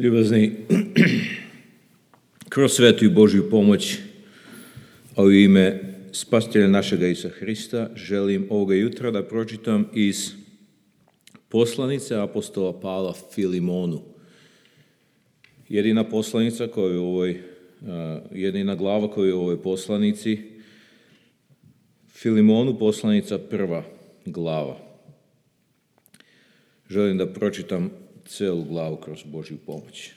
Ljubazni, kroz svetu i Božju pomoć, a u ime Spasitelja našega Isusa Hrista, želim ovoga jutra da pročitam iz poslanice apostola Pavla Filimonu. Jedina poslanica koja je u ovoj, jedina glava koja je u ovoj poslanici, Filimonu poslanica prva glava. Želim da pročitam celu glavu kroz Božju pomoć.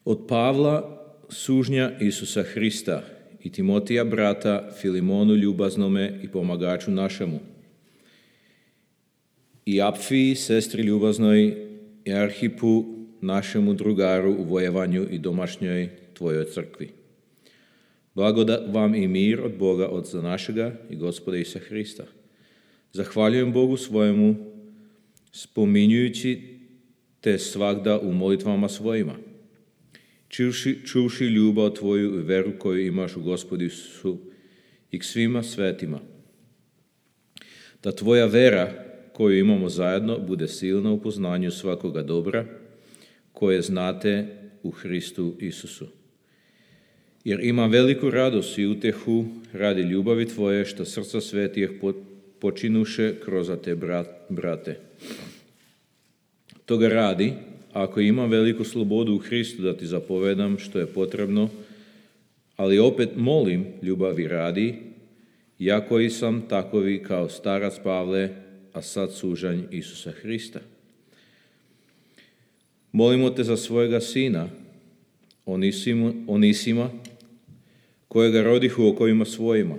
Od Pavla, sužnja Isusa Hrista, i Timotija, brata, Filimonu ljubaznome i pomagaču našemu, i Apfiji, sestri ljubaznoj, i Arhipu, našemu drugaru u vojevanju i domašnjoj tvojoj crkvi. Blagodat vam i mir od Boga, Otca našega i Gospoda Isusa Hrista. Zahvaljujem Bogu svojemu, spominjujući te svagda u molitvama svojima, čuvši ljubav tvoju i veru koju imaš u Gospodu Isusu i k svima svetima. Da tvoja vera koju imamo zajedno bude silna u poznanju svakoga dobra koje znate u Hristu Isusu. Jer imam veliku radost i utehu radi ljubavi tvoje što srca svetijih počinuše kroz te brate. Toga radi, ako imam veliku slobodu u Hristu da ti zapovedam što je potrebno, ali opet molim ljubavi radi, ja koji sam takovi kao starac Pavle, a sad sužanj Isusa Hrista. Molimo te za svojega sina, Onisima, kojega rodih u okovima svojima,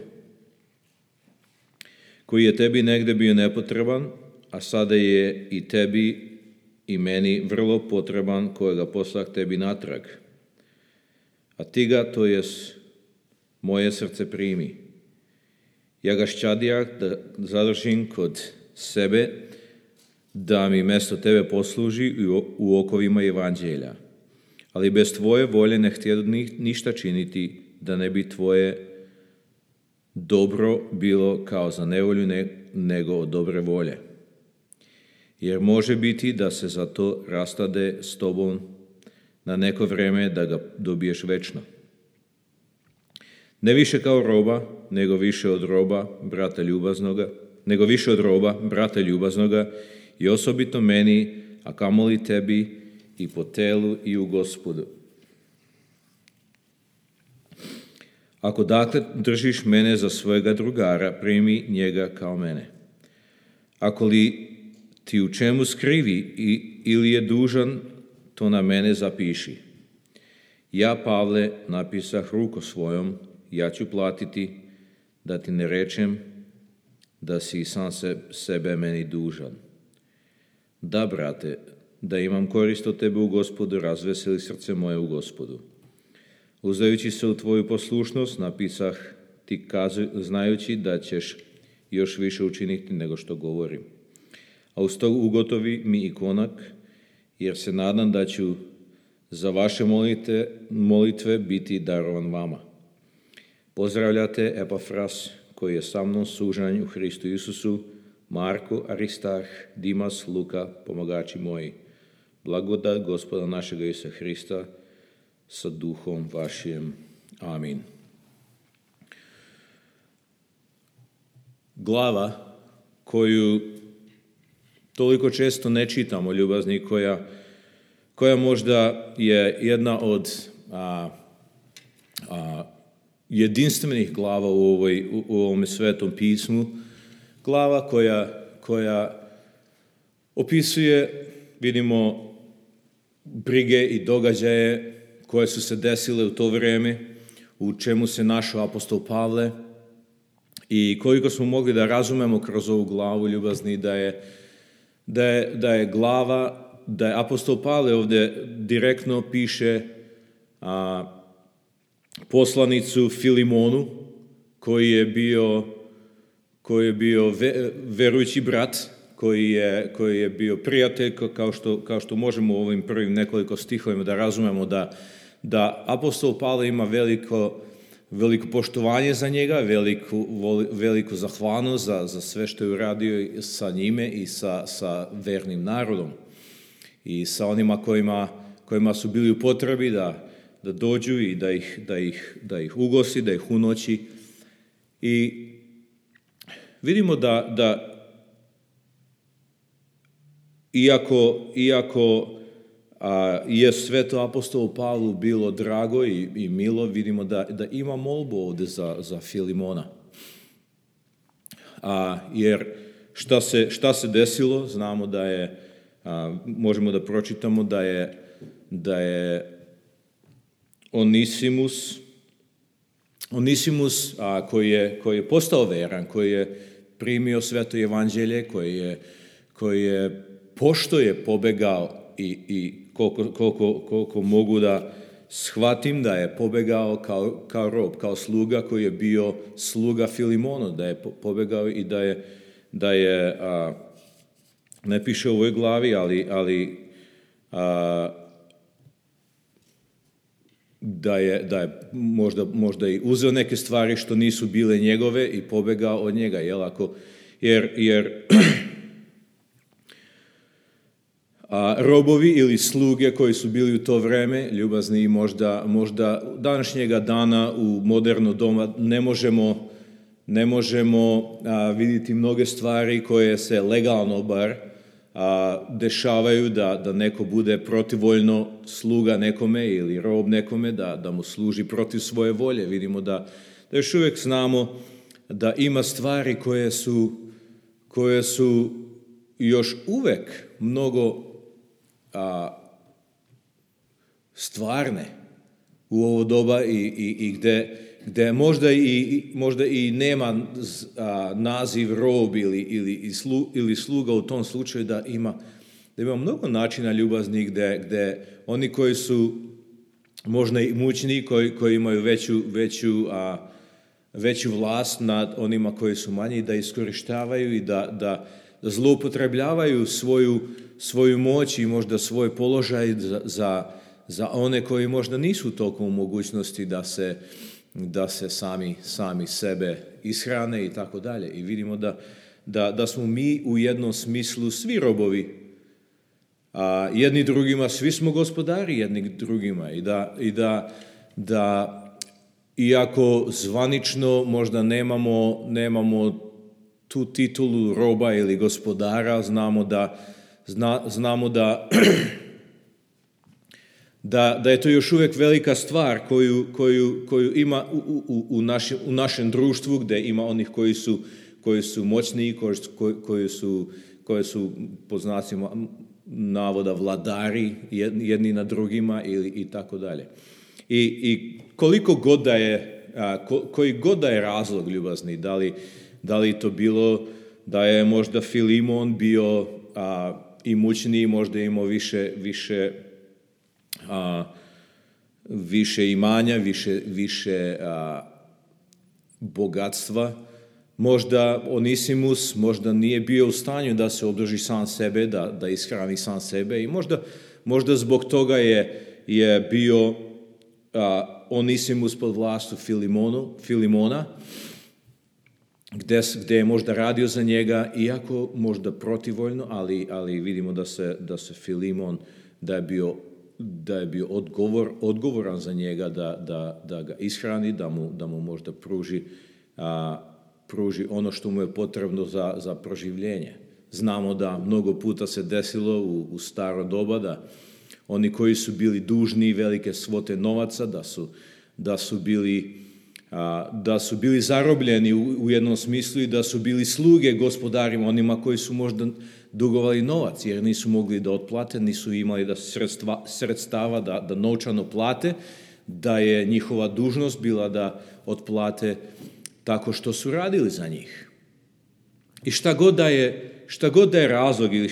koji je tebi negde bio nepotreban, a sada je i tebi i meni vrlo potreban, kojega poslah tebi natrag. A ti ga, to jest moje srce, primi. Ja ga šćadijak da zadržim kod sebe, da mi mesto tebe posluži u okovima evanđelja. Ali bez tvoje volje ne htjedu ništa činiti, da ne bi tvoje dobro bilo kao za nevolju, nego od dobre volje. Jer može biti da se za to rastade s tobom na neko vreme, da ga dobiješ večno. Ne više kao roba, nego više od roba, brata ljubaznoga, i osobito meni, a kamoli tebi i po telu i u Gospodu. Ako dakle držiš mene za svojega drugara, primi njega kao mene. Ako li ti u čemu skrivi ili je dužan, to na mene zapiši. Ja, Pavle, napisah ruko svojom, ja ću platiti, da ti ne rečem da si sam sebe meni dužan. Da, brate, da imam korist od tebe u Gospodu, razveseli srce moje u Gospodu. Uzdajući se u tvoju poslušnost, napisah ti znajući da ćeš još više učiniti nego što govorim. A uz to ugotovi mi i konak, jer se nadam da ću za vaše molitve biti darovan vama. Pozdravljate Epafras, koji je sa mnom sužanj u Hristu Isusu, Marko, Aristarh, Dimas, Luka, pomagači moji. Blagodat Gospoda našega Isusa Hrista sa duhom vašim. Amin. Glava koju toliko često ne čitamo, ljubazni, koja možda je jedna od jedinstvenih glava u ovom svetom pismu, glava koja opisuje, vidimo, brige i događaje koje su se desile u to vrijeme, u čemu se našao apostol Pavle, i koliko smo mogli da razumemo kroz ovu glavu, ljubazni, da je glava, da je apostol Pavle ovdje direktno piše poslanicu Filimonu, koji je bio verujući brat, koji je bio prijatelj, kao što možemo u ovim prvim nekoliko stihovima da razumemo da apostol Pavle ima veliko poštovanje za njega, veliku zahvalnost za sve što je uradio sa njime i sa vernim narodom. i sa onima kojima su bili u potrebi da dođu i da ih ugosti, da ih unoći. I vidimo da iako je sveto apostolu Pavlu bilo drago i milo, vidimo da ima molbu ovdje za Filimona. Jer šta se desilo? Znamo da je, možemo da pročitamo da je Onisimus koji je postao veran, koji je primio sveto evanđelje, koji je pošto je pobegao i koliko mogu da shvatim da je pobegao kao rob, kao sluga koji je bio sluga Filimonu, da je pobegao i da je ne piše u ovoj glavi, ali da je možda i uzeo neke stvari što nisu bile njegove i pobegao od njega, jer robovi ili sluge koji su bili u to vreme, ljubazni, možda današnjega dana u moderno doba ne možemo vidjeti mnoge stvari koje se legalno bar dešavaju da neko bude protivvoljno sluga nekome ili rob nekome, da mu služi protiv svoje volje. Vidimo da još uvijek znamo da ima stvari koje su još uvijek mnogo stvarne u ovo doba i gde možda i nema naziv rob ili sluga u tom slučaju, da ima mnogo načina ljubazni gde oni koji su možda i mućni, koji imaju veću vlast nad onima koji su manji, da iskorištavaju i da zloupotrebljavaju svoju moć i možda svoj položaj za one koji možda nisu toliko u mogućnosti da se sami sebe ishrane i tako dalje. I vidimo da smo mi u jednom smislu svi robovi, jedni drugima, svi smo gospodari jedni drugima i da iako zvanično možda nemamo tu titulu roba ili gospodara, znamo da je to još uvijek velika stvar koju ima u našem društvu, gdje ima onih koji su moćni, koji su po znacima navoda vladari jedni na drugima i tako dalje. I koliko god da je, koji god da je razlog ljubazni, da li to bilo da je možda Filimon bio imućniji, možda imao više imanja, više bogatstva. Možda Onisimus možda nije bio u stanju da se održi sam sebe, da ishrani sam sebe, i možda zbog toga je bio Onisimus pod vlastu Filimona, gdje je možda radio za njega, iako možda protivvoljno, ali vidimo da se Filimon, da je bio odgovoran za njega, da ga ishrani, da mu možda pruži ono što mu je potrebno za proživljenje. Znamo da mnogo puta se desilo u staro doba da oni koji su bili dužni velike svote novaca, da su bili zarobljeni u jednom smislu i da su bili sluge gospodarima, onima koji su možda dugovali novac, jer nisu mogli da otplate, nisu imali sredstava da novčano plate, da je njihova dužnost bila da otplate tako što su radili za njih. I šta god da je razlog ili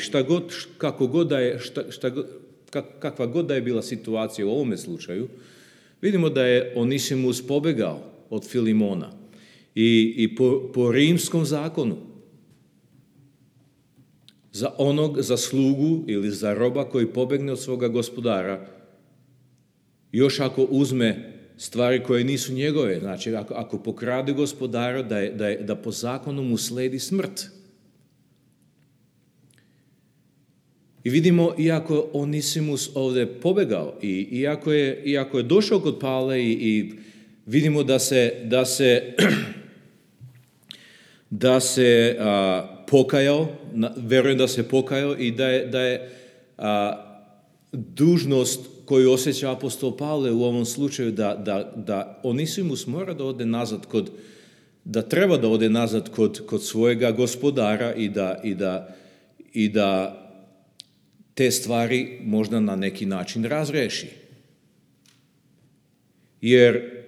kakva god da je bila situacija u ovome slučaju, vidimo da je Onisimus pobegao od Filimona i po rimskom zakonu za slugu ili za roba koji pobegne od svoga gospodara, još ako uzme stvari koje nisu njegove, znači ako pokrade gospodara, da po zakonu mu sledi smrt. I vidimo, iako Onisimus ovdje pobegao i iako je došao kod Pavle i vidimo da se pokajao, vjerujem da se pokajao i da je dužnost koju osjeća apostol Pavle u ovom slučaju da Onisimus mora da ode nazad da treba da ode nazad kod svojega gospodara i da te stvari možda na neki način razreši. Jer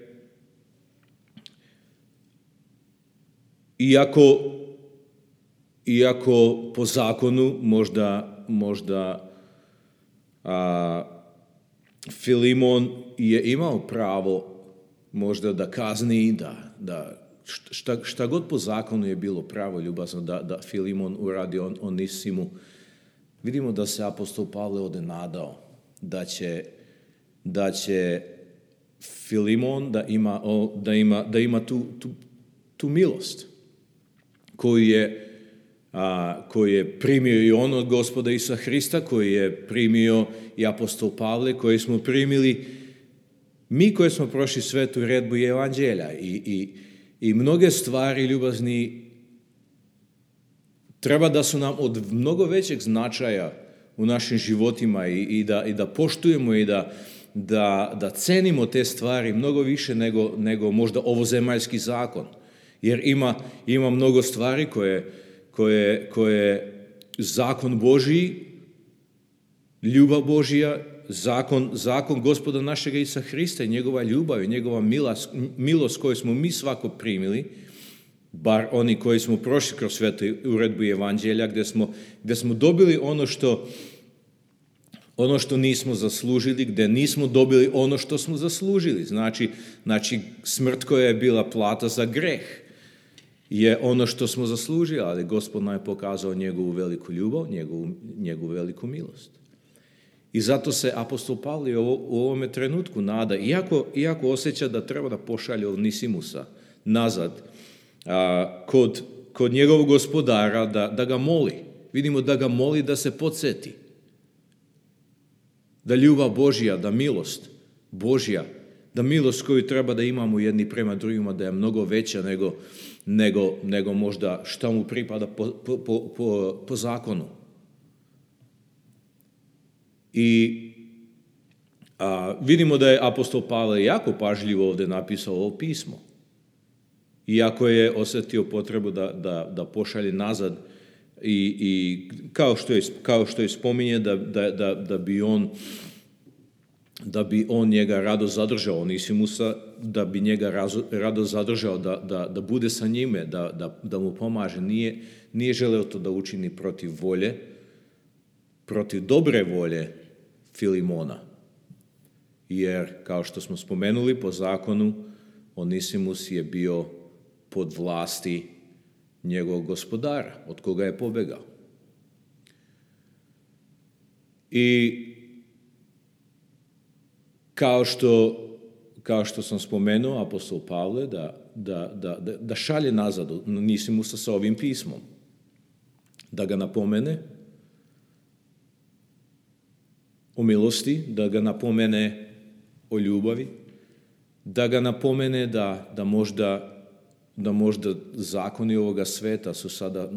iako po zakonu možda Filimon je imao pravo možda da kazni, da šta god po zakonu je bilo pravo ljubazno da Filimon uradi Onisimu, vidimo da se apostol Pavle ovdje nadao da će Filimon da ima tu milost koju je primio i on od Gospoda Isusa Hrista, koji je primio i apostol Pavle, koji smo primili mi koji smo prošli svetu redbu i evanđelja i mnoge stvari ljubazni treba da su nam od mnogo većeg značaja u našim životima i da poštujemo i da cenimo te stvari mnogo više nego možda ovozemaljski zakon. Jer ima mnogo stvari koje zakon Božiji, ljubav Božija, zakon Gospoda našega Isusa Hrista i njegova ljubav i njegova milost koju smo mi svako primili, bar oni koji smo prošli kroz svetu uredbu i evanđelja, gdje smo dobili ono što nismo zaslužili, gdje nismo dobili ono što smo zaslužili. Znači smrt koja je bila plata za greh je ono što smo zaslužili, ali Gospod nam je pokazao njegovu veliku ljubav, njegovu veliku milost. I zato se apostol Pavle u ovome trenutku nada, iako osjeća da treba da pošalje Onisimusa nazad kod njegovog gospodara, da ga moli. Vidimo da ga moli da se podsjeti. Da ljubav Božja, da milost Božja, da milost koju treba da imamo jedni prema drugima, da je mnogo veća nego možda šta mu pripada po zakonu. I vidimo da je apostol Pavle jako pažljivo ovdje napisao ovo pismo. Iako je osjetio potrebu da pošalje nazad i kao što je spominje da bi on njega rado zadržao, Onisimusa, da bi njega rado zadržao, da bude sa njime, da mu pomaže. Nije želeo to da učini protiv dobre volje Filimona. Jer, kao što smo spomenuli, po zakonu Onisimus je bio pod vlasti njegovog gospodara, od koga je pobegao. I kao što sam spomenuo, apostol Pavle da šalje nazad Onisimusa sa ovim pismom, da ga napomene o milosti, da ga napomene o ljubavi, da ga napomene da možda zakoni ovoga sveta su sada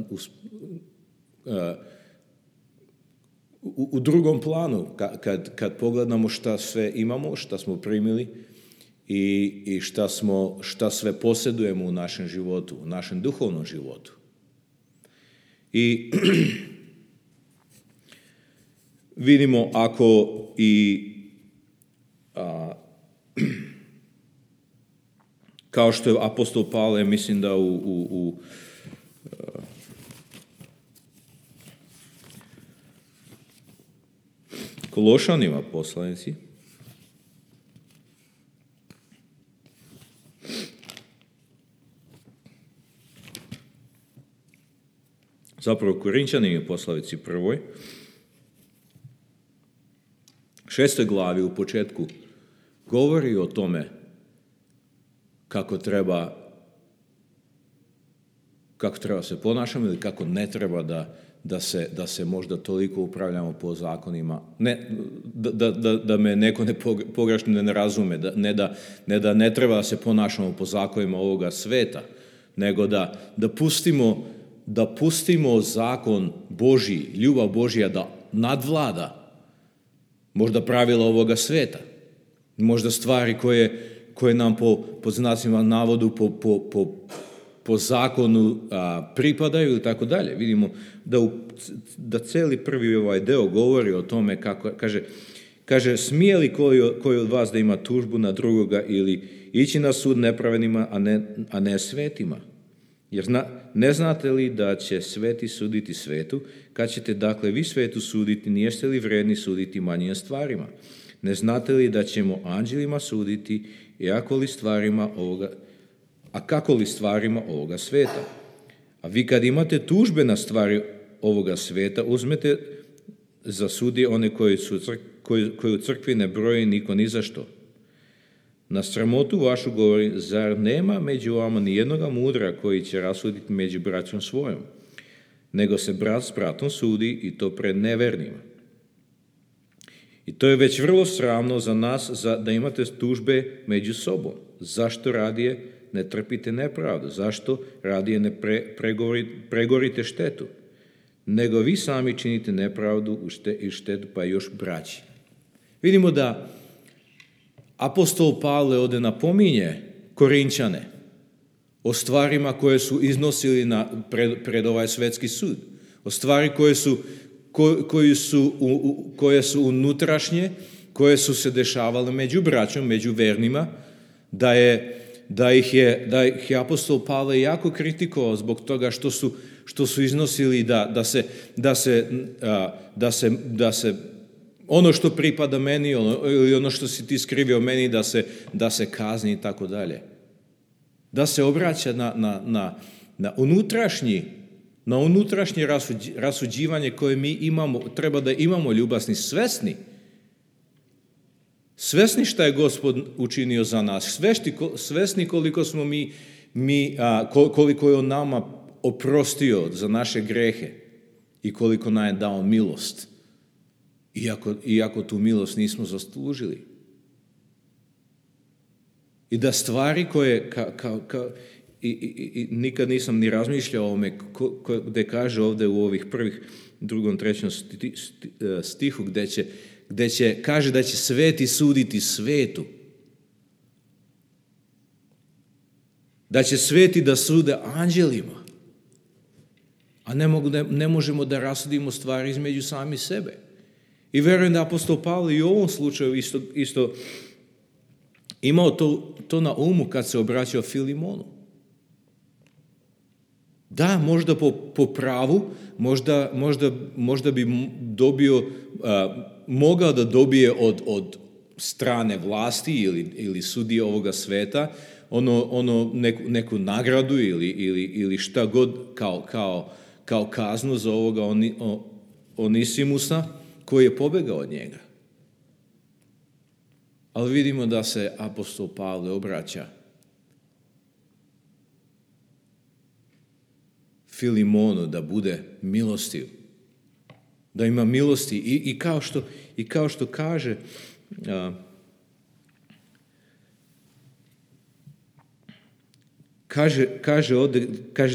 u drugom planu, kad pogledamo šta sve imamo, šta smo primili i šta sve posjedujemo u našem životu, u našem duhovnom životu. I vidimo ako kao što je apostol Pavle, mislim da u Kološanima poslanici, zapravo Korinčanima poslanici 1. 6. glavi u početku govori o tome kako treba se ponašamo ili kako ne treba da se možda toliko upravljamo po zakonima. Ne, da me neko pogrešno ne razume, ne da ne treba da se ponašamo po zakonima ovoga sveta, nego da pustimo zakon Božji, ljubav Božja da nadvlada možda pravila ovoga sveta, možda stvari koje nam po znacima navodu po zakonu pripadaju i tako dalje. Vidimo da cijeli prvi deo govori o tome kako, kaže smije li koji od vas da ima tužbu na drugoga ili ići na sud nepravednima, a ne svetima? Jer ne znate li da će sveti suditi svetu, kad ćete dakle vi svetu suditi, nijeste li vredni suditi manjim stvarima? Ne znate li da ćemo anđelima suditi i kako li stvarima ovoga sveta? A vi kad imate tužbe na stvari ovoga sveta, uzmete za sudije one koji u crkvi ne broji niko ni za što. Na sramotu vašu govori, zar nema među vama ni jednoga mudra koji će rasuditi među braćom svojom, nego se brat s bratom sudi i to pred nevernima. I to je već vrlo sramno za nas da imate tužbe među sobom. Zašto radije ne trpite nepravdu? Zašto radije ne pregorite štetu? Nego vi sami činite nepravdu i štetu, pa još braći. Vidimo da apostol Pavle ovdje napominje Korinčane o stvarima koje su iznosili pred ovaj svetski sud. O stvari koje su unutrašnje, koje su se dešavale među braćom, među vernima, da ih je apostol Pavle jako kritikovao zbog toga što su iznosili da se ono što pripada meni ili ono što si ti skrivio meni da se kazni i tako dalje. Da se obraća na unutrašnje rasuđivanje koje mi imamo, treba da imamo ljubasni, svesni šta je Gospod učinio za nas, svesni koliko smo koliko je on nama oprostio za naše grehe i koliko nam je dao milost, iako tu milost nismo zaslužili. I da stvari koje i nikad nisam ni razmišljao o ovome, gdje kaže ovdje u ovih prvih 2. 3. stihu, kaže da će sveti suditi svetu. Da će sveti da sude anđelima. A ne možemo da rasudimo stvari između sami sebe. I vjerujem da apostol Pavle i u ovom slučaju isto imao to na umu kad se obraćao Filimonu. Da, možda po pravu, možda bi mogao da dobije od strane vlasti ili sudije ovoga sveta neku nagradu ili šta god kao kaznu za ovoga Onisimusa koji je pobegao od njega. Ali vidimo da se apostol Pavle obraća Filimonu da bude milostiv, da ima milosti i kao što kaže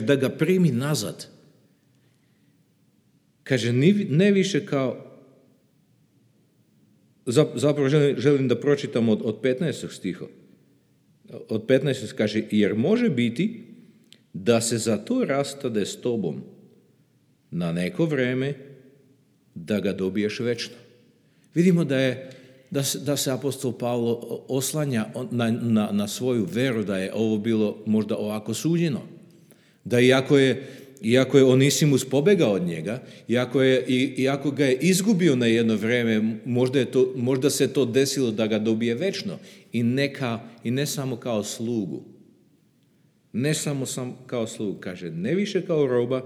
da ga primi nazad. Kaže ne više kao, zapravo želim da pročitam od 15. stiha. Od 15. kaže, jer može biti da se za to rastade s tobom na neko vreme da ga dobiješ večno. Vidimo da se apostol Pavlo oslanja na svoju veru, da je ovo bilo možda ovako suđeno. Da iako je Onisimus pobegao od njega, iako ga je izgubio na jedno vreme, možda se to desilo da ga dobije večno i ne samo kao slugu. Ne samo kao slugu, kaže, ne više kao roba,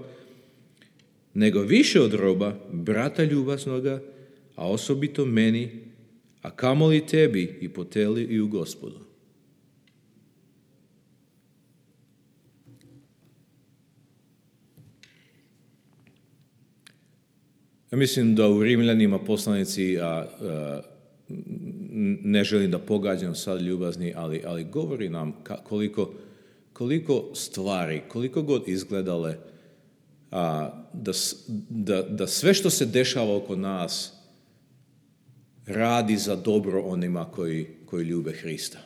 nego više od roba, brata ljubaznoga, a osobito meni, a kamoli tebi i po teli i u Gospodu. Ja mislim da u Rimljanima poslanici, ne želim da pogađam sad ljubazni, ali govori nam koliko stvari, koliko god izgledale, da sve što se dešava oko nas radi za dobro onima koji ljube Hrista.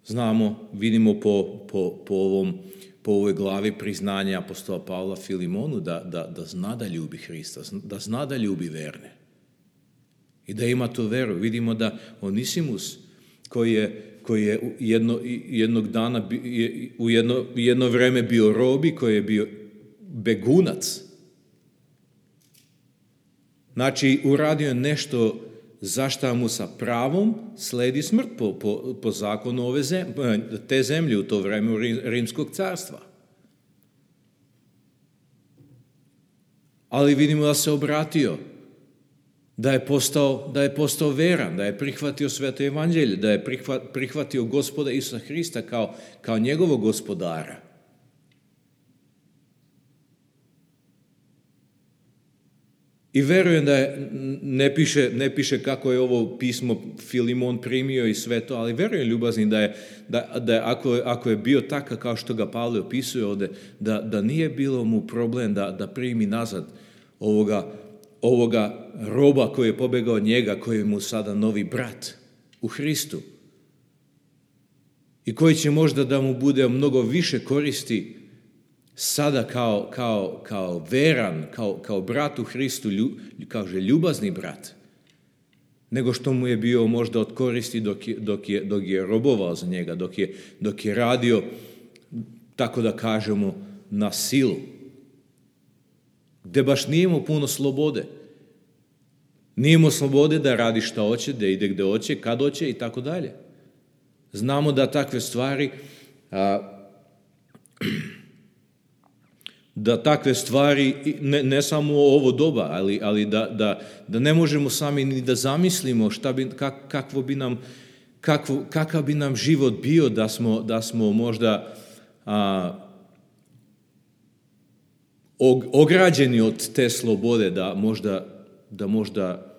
Znamo, vidimo po ovoj glavi priznanja apostola Pavla Filimonu da zna da ljubi Hrista, da zna da ljubi verne. I da ima tu veru. Vidimo da Onisimus, koji je jednog dana, u jedno vreme bio robi, koji je bio begunac. Znači, uradio je nešto za šta mu sa pravom sledi smrt po zakonu te zemlje u to vreme Rimskog carstva. Ali vidimo da se obratio, da je postao veran, da je prihvatio sveto evanđelje, da je prihvatio Gospoda Isusa Hrista kao njegovog gospodara. I verujem da ne piše kako je ovo pismo Filimon primio i sve to, ali verujem, ljubazni, da ako je bio takav kao što ga Pavle opisuje ovdje, da nije bilo mu problem da primi nazad ovoga roba koji je pobegao od njega, koji je mu sada novi brat u Hristu. I koji će možda da mu bude mnogo više koristi sada kao veran, kao brat u Hristu, kaže ljubazni brat, nego što mu je bio možda od koristi dok je robovao za njega, dok je radio, tako da kažemo, na silu. Gde baš nije imao puno slobode. Nije imao slobode da radi šta hoće, da ide gde hoće, kad hoće i tako dalje. Znamo da takve stvari ne samo ovo doba, ali da ne možemo sami ni da zamislimo kakav bi nam život bio da smo možda ograđeni od te slobode, da možda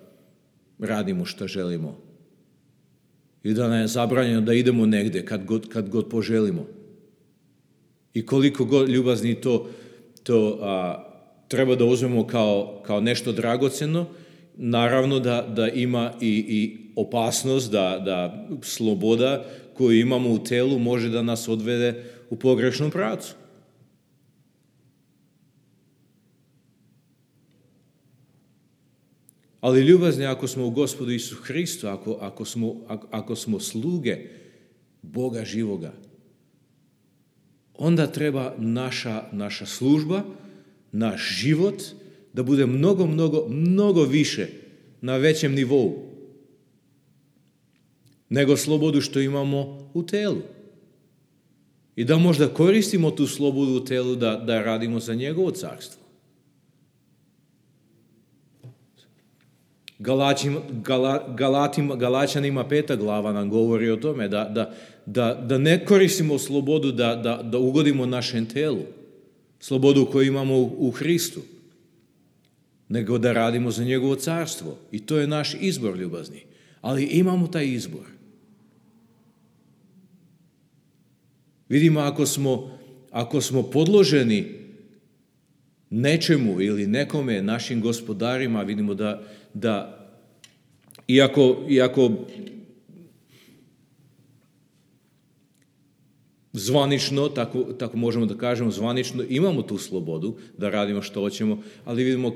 radimo što želimo i da nam je zabranjeno da idemo negde kad god poželimo. I koliko god ljubazni to treba da uzmemo kao nešto dragoceno, naravno da ima i opasnost da sloboda koju imamo u telu može da nas odvede u pogrešnom pravcu. Ali ljubazni, ako smo u Gospodu Isusu Hristu, ako smo sluge Boga živoga, onda treba naša služba, naš život da bude mnogo više na većem nivou nego slobodu što imamo u telu. I da možda koristimo tu slobodu u telu da radimo za njegovo carstvo. Galačanima 5. glava nam govori o tome da ne koristimo slobodu da ugodimo našem telu, slobodu koju imamo u Hristu, nego da radimo za njegovo carstvo. I to je naš izbor, ljubazni. Ali imamo taj izbor. Vidimo, ako smo podloženi nečemu ili nekome, našim gospodarima, vidimo da iako zvanično, tako možemo da kažemo, zvanično imamo tu slobodu da radimo što hoćemo, ali vidimo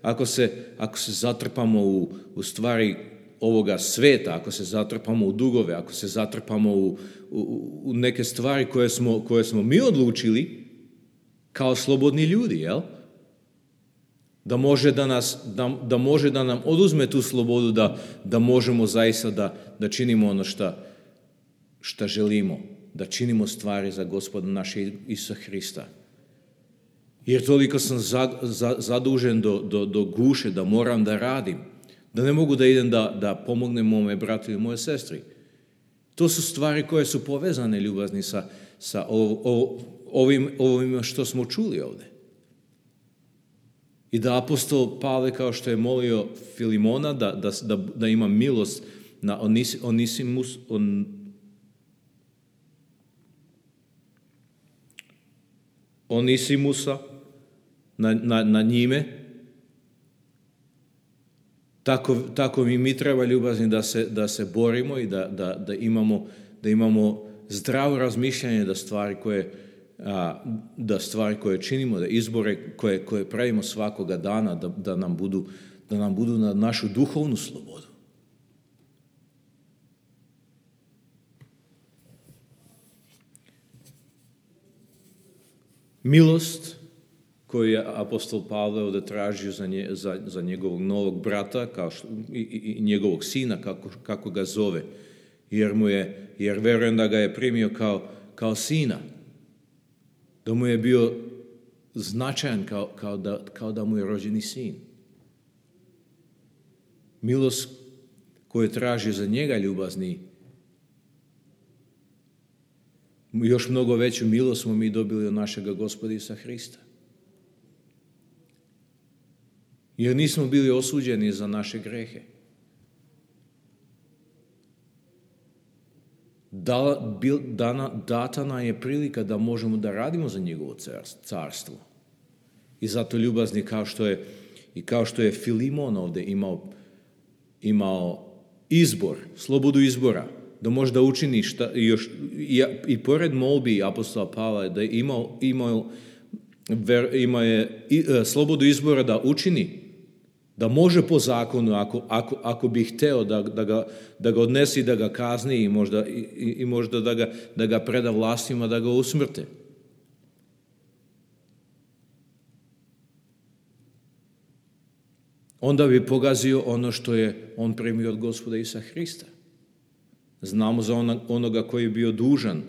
ako se zatrpamo u stvari ovoga sveta, ako se zatrpamo u dugove, ako se zatrpamo u neke stvari koje smo mi odlučili kao slobodni ljudi, jel? Da može da nam oduzme tu slobodu, da možemo zaista da činimo ono šta želimo, da činimo stvari za Gospoda naše Isusa Hrista. Jer toliko sam zadužen do guše da moram da radim, da ne mogu da idem da pomognem mome bratu i moje sestri. To su stvari koje su povezane, ljubazni, sa ovim što smo čuli ovdje. I da apostol Pavle, kao što je molio Filimona da ima milost na Onisimusa, na njime, tako mi treba ljubazni da se borimo i da imamo zdravo razmišljanje da stvari koje činimo, da izbore koje pravimo svakoga dana, da nam budu na našu duhovnu slobodu. Milost koju je apostol Pavle ovdje tražio za njegovog novog brata i njegovog sina, kako ga zove, jer verujem da ga je primio kao sina, da mu je bio značajan kao da mu je rođeni sin. Milost koju traži za njega ljubazni, još mnogo veću milost smo mi dobili od našega Gospoda Isusa Hrista. Jer nismo bili osuđeni za naše grehe. Data nam je prilika da možemo da radimo za njegovo carstvo. I zato ljubazni, kao što je Filimon ovdje imao izbor, slobodu izbora, da možda učini i pored molbi apostola Pavla, da ima slobodu izbora da učini, da može po zakonu, ako bi hteo da ga odnesi, da ga kazni i možda da ga preda vlastima, da ga usmrte. Onda bi pogazio ono što je on primio od Gospoda Isusa Hrista. Znamo za onoga koji je bio dužan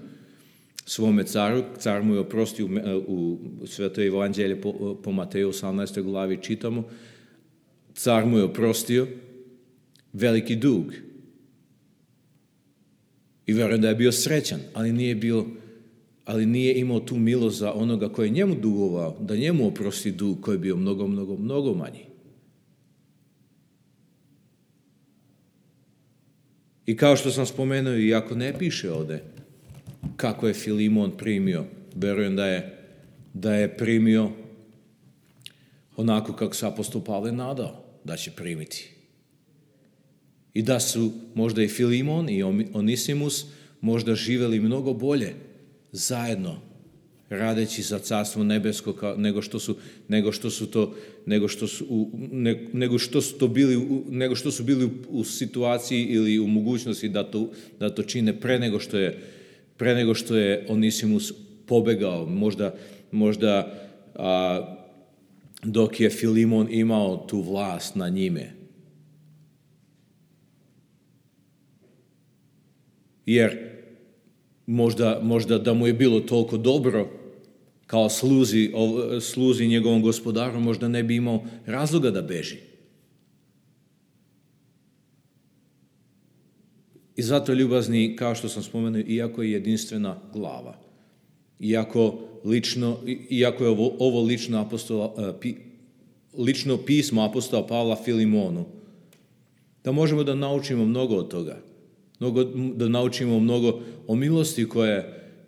svome caru. Car mu je oprostio u Svetoj evanđelje po Mateju 18. glavi čitamo. Car mu je oprostio veliki dug. I vjerujem da je bio srećan, ali nije imao tu milost za onoga koji je njemu dugovao, da njemu oprosti dug koji je bio mnogo, mnogo, mnogo manji. I kao što sam spomenuo, iako ne piše ovdje kako je Filimon primio, vjerujem da je primio onako kako se apostol Pavle nadao da će primiti. I da su možda i Filimon i Onisimus možda živjeli mnogo bolje zajedno, radeći za carstvo nebesko nego što su bili u situaciji ili u mogućnosti da to čine pre nego što je Onisimus pobegao, možda dok je Filimon imao tu vlast na njime. Jer možda da mu je bilo toliko dobro kao sluzi njegovom gospodaru, možda ne bi imao razloga da beži. I zato ljubazni, kao što sam spomenuo, iako je jedinstvena glava, iako je ovo lično pismo apostola Pavla Filimonu, da možemo da naučimo mnogo od toga. Da naučimo mnogo o milosti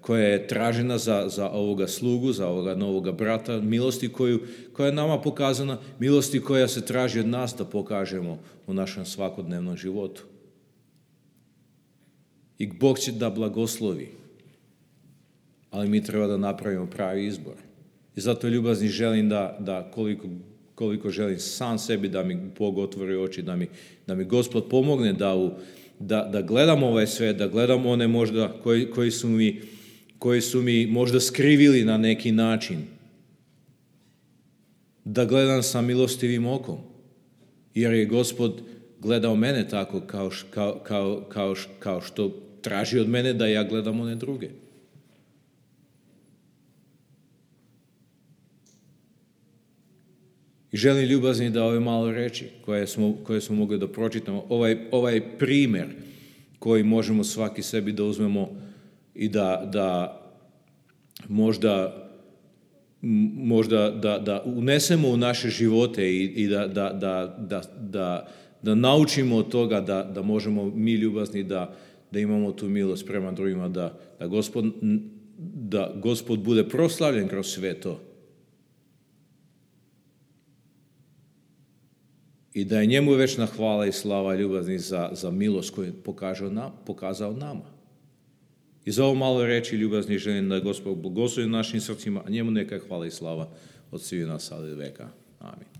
koja je tražena za ovoga slugu, za ovoga novoga brata, milosti koja je nama pokazana, milosti koja se traži od nas da pokažemo u našem svakodnevnom životu. I Bog će da blagoslovi, ali mi treba da napravimo pravi izbor. I zato ljubazni želim da koliko želim sam sebi da mi Bog otvori oči, da mi Gospod pomogne da gledam ovaj svet, da gledam one možda koji su mi možda skrivili na neki način. Da gledam sa milostivim okom. Jer je Gospod gledao mene tako kao što traži od mene da ja gledam one druge. I želim ljubazni da ove malo reči koje smo mogli da pročitamo, ovaj primjer koji možemo svaki sebi da uzmemo i da možda možda da unesemo u naše živote i da naučimo od toga da možemo mi ljubazni, da imamo tu milost prema drugima, da Gospod bude proslavljen kroz sve to. I da je njemu večna hvala i slava ljubazni za milost koju je pokazao nama. I za ovo malo reći ljubazni želim da Gospod blagoslovi našim srcima, a njemu neka hvala i slava od svih nas, ali veka. Amin.